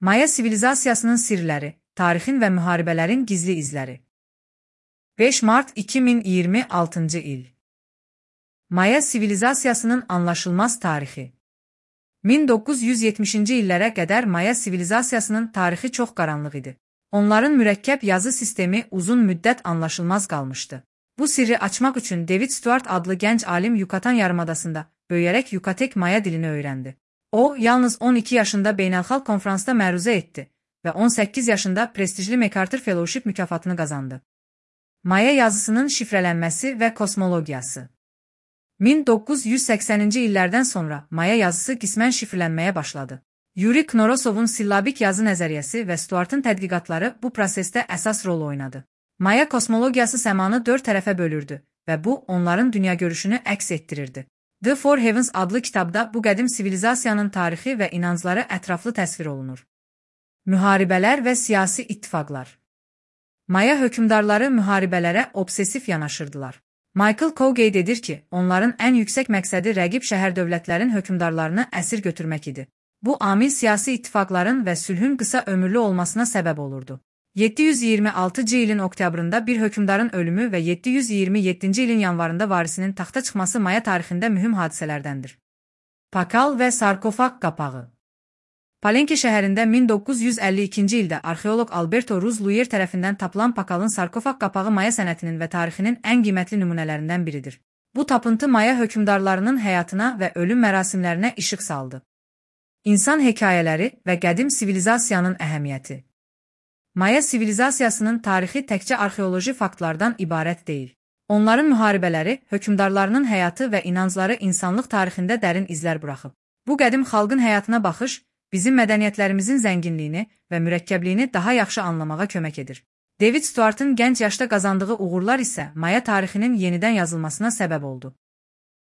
Maya sivilizasiyasının sirləri, tarixin və müharibələrin gizli izləri. 5 Mart 2026 il. Maya sivilizasiyasının anlaşılmaz tarixi. 1970-ci illərə qədər Maya sivilizasiyasının tarixi çox qaranlıq idi. Onların mürəkkəb yazı sistemi uzun müddət anlaşılmaz qalmışdı. Bu sirri açmaq üçün David Stuart adlı gənc alim Yucatan yarımadasında böyüyərək Yukatek Maya dilini öyrəndi. O, yalnız 12 yaşında beynəlxalq konfransda məruzə etdi və 18 yaşında prestijli MacArthur Fellowship mükafatını qazandı. Maya yazısının şifrələnməsi və kosmologiyası. 1980-ci illərdən sonra Maya yazısı qismən şifrlənməyə başladı. Yuri Knorosovun sillabik yazı nəzəriyyəsi və Stuartın tədqiqatları bu prosesdə əsas rol oynadı. Maya kosmologiyası səmanı 4 tərəfə bölürdü və bu, onların dünyagörüşünü əks etdirirdi. The Four Heavens adlı kitabda bu qədim sivilizasiyanın tarixi və inancları ətraflı təsvir olunur. Müharibələr və siyasi ittifaqlar. Maya hökmdarları müharibələrə obsesif yanaşırdılar. Michael Coe qeyd edir ki, onların ən yüksək məqsədi rəqib şəhər dövlətlərin hökmdarlarını əsir götürmək idi. Bu amil siyasi ittifaqların və sülhün qısa ömürlü olmasına səbəb olurdu. 726-cı ilin oktyabrında bir hökmdarın ölümü və 727-ci ilin yanvarında varisinin taxta çıxması Maya tarixində mühüm hadisələrdəndir. Pakal və sarkofaq qapağı. Palenque şəhərində 1952-ci ildə arxeoloq Alberto Ruz Luyer tərəfindən tapılan pakalın sarkofaq qapağı Maya sənətinin və tarixinin ən qiymətli nümunələrindən biridir. Bu tapıntı Maya hökmdarlarının həyatına və ölüm mərasimlərinə işıq saldı. İnsan hekayələri və qədim sivilizasiyanın əhəmiyyəti. Maya sivilizasiyasının tarixi təkcə arxeoloji faktlardan ibarət deyil. Onların müharibələri, hökmdarlarının həyatı və inancları insanlıq tarixində dərin izlər buraxıb. Bu qədim xalqın həyatına baxış, bizim mədəniyyətlərimizin zənginliyini və mürəkkəbliyini daha yaxşı anlamağa kömək edir. David Stuartın gənc yaşda qazandığı uğurlar isə Maya tarixinin yenidən yazılmasına səbəb oldu.